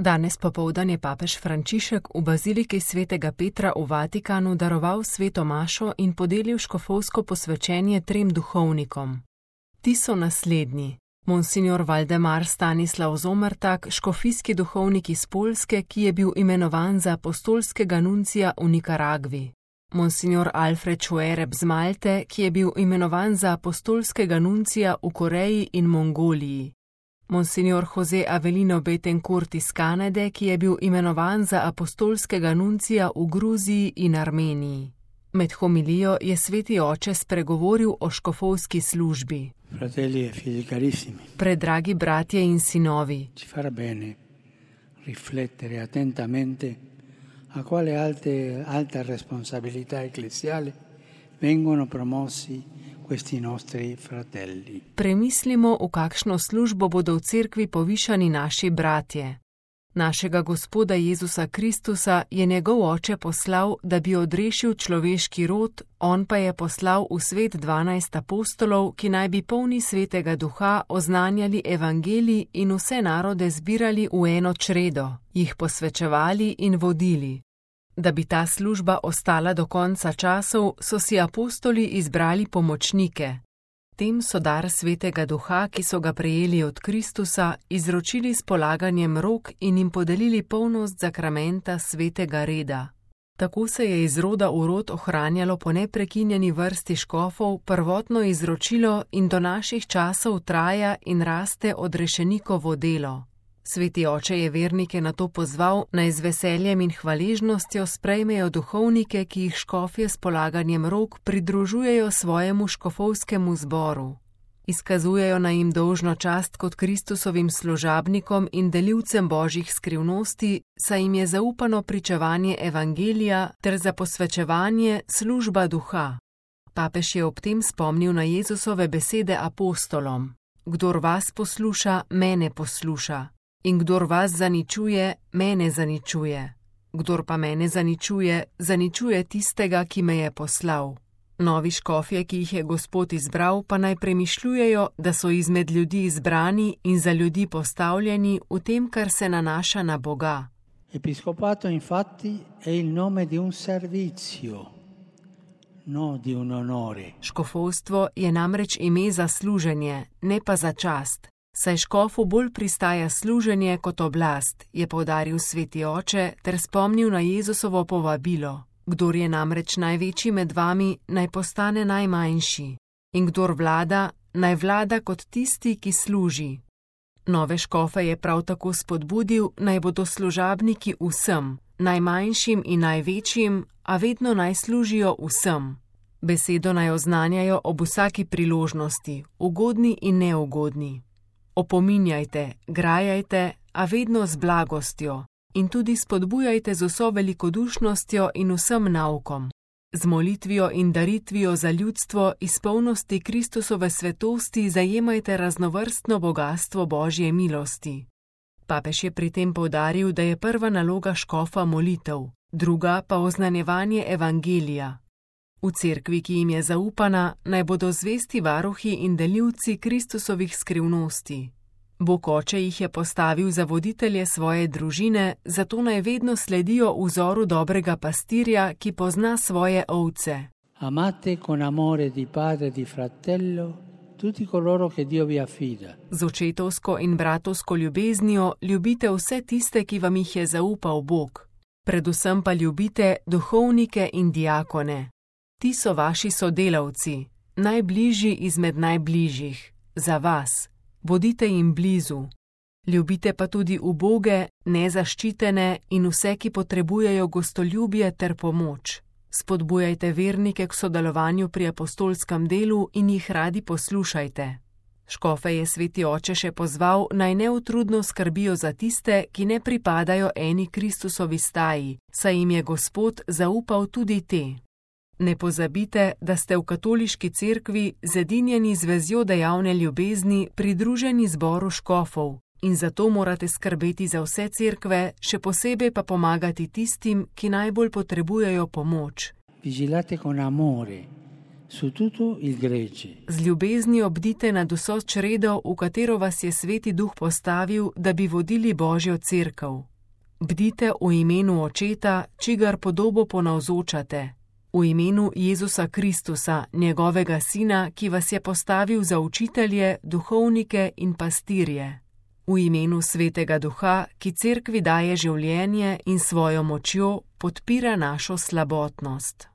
Danes popoldan je papež Frančišek v baziliki svetega Petra v Vatikanu daroval sveto mašo in podelil škofovsko posvečenje 3 duhovnikom. Ti so naslednji: monsignor Valdemar Stanislav Zomertak, škofijski duhovnik iz Poljske, ki je bil imenovan za apostolskega nuncija v Nikaragvi; monsignor Alfred Šuereb z Malte, ki je bil imenovan za apostolskega nuncija v Koreji in Mongoliji; monsignor Jose Avelino Betancourt iz Kanade, ki je bil imenovan za apostolskega nuncija v Gruziji in Armeniji. Med homilijo je sveti oče spregovoril o škofovski službi. Fratelli e figli carissimi, Predragi bratje in sinovi, ci farà bene riflettere attentamente a quale alta responsabilità ecclesiale vengono promossi questi nostri fratelli. premislimo, v kakšno službo bodo v cerkvi povišani naši bratje. Našega Gospoda Jezusa Kristusa je njegov oče poslal, da bi odrešil človeški rod, on pa je poslal v svet 12 apostolov, ki naj bi polni svetega duha oznanjali evangelij in vse narode zbirali v eno čredo, jih posvečevali in vodili. Da bi ta služba ostala do konca časov, so si apostoli izbrali pomočnike. Tem so dar svetega duha, ki so ga prejeli od Kristusa, izročili s polaganjem rok in jim podelili polnost zakramenta svetega reda. Tako se je iz roda v rod ohranjalo po neprekinjeni vrsti škofov prvotno izročilo in do naših časov traja in raste odrešenikovo delo. Sveti oče je vernike na to pozval, naj z veseljem in hvaležnostjo sprejmejo duhovnike, ki jih škofje s polaganjem rok pridružujejo svojemu škofovskemu zboru. Izkazujejo naj jim dolžno čast kot Kristusovim služabnikom in delivcem božjih skrivnosti, saj jim je zaupano pričevanje evangelija ter za posvečevanje služba duha. Papež je ob tem spomnil na Jezusove besede apostolom: Kdor vas posluša, mene posluša. In kdor vas zaničuje, mene zaničuje. Kdor pa mene zaničuje, zaničuje tistega, ki me je poslal. Novi škofje, ki jih je Gospod izbral, pa naj premišljujejo, da so izmed ljudi izbrani in za ljudi postavljeni v tem, kar se nanaša na Boga. Episcopato infatti è il nome di un servizio, no di un onore. Škofovstvo je namreč ime za služenje, ne pa za čast. Saj škofu bolj pristaja služenje kot oblast, je poudaril sveti oče ter spomnil na Jezusovo povabilo. Kdor je namreč največji med vami, naj postane najmanjši. In kdor vlada, naj vlada kot tisti, ki služi. Nove škofe je prav tako spodbudil, naj bodo služabniki vsem, najmanjšim in največjim, a vedno naj služijo vsem. Besedo naj oznanjajo ob vsaki priložnosti, ugodni in neugodni. Opominjajte, grajajte, a vedno z blagostjo, in tudi spodbujajte z vso velikodušnostjo in vsem naukom, z molitvijo in daritvijo za ljudstvo iz polnosti Kristusove svetosti zajemajte raznovrstno bogastvo Božje milosti. Papež je pri tem poudaril, da je prva naloga škofa molitev, druga pa oznanjevanje evangelija. V cerkvi, ki jim je zaupana, naj bodo zvesti varuhi in delivci Kristusovih skrivnosti. Bog oče jih je postavil za voditelje svoje družine, zato naj vedno sledijo vzoru dobrega pastirja, ki pozna svoje ovce. Amate con amore di padre di fratello tutti coloro che Dio vi affida. Z očetovsko in bratovsko ljubeznijo ljubite vse tiste, ki vam jih je zaupal Bog. Predvsem pa ljubite duhovnike in diakone. Ti so vaši sodelavci, najbližji izmed najbližjih, za vas. Bodite jim blizu. Ljubite pa tudi uboge, nezaščitene in vse, ki potrebujejo gostoljubje ter pomoč. Spodbujajte vernike k sodelovanju pri apostolskem delu in jih radi poslušajte. Škofe je sveti oče še pozval, naj neutrudno skrbijo za tiste, ki ne pripadajo eni Kristusovi staji, saj jim je Gospod zaupal tudi te. Ne pozabite, da ste v katoliški cerkvi zedinjeni z vezjo dejavne ljubezni pridruženi zboru škofov in zato morate skrbeti za vse cerkve, še posebej pa pomagati tistim, ki najbolj potrebujejo pomoč. Vigilate con amore su tutto il gregge. Z ljubeznijo bdite nad vso čredo, v katero vas je sveti duh postavil, da bi vodili Božjo cerkev. Bdite v imenu Očeta, čigar podobo ponavzočate, v imenu Jezusa Kristusa, njegovega Sina, ki vas je postavil za učitelje, duhovnike in pastirje, v imenu Svetega Duha, ki cerkvi daje življenje in svojo močjo podpira našo slabotnost.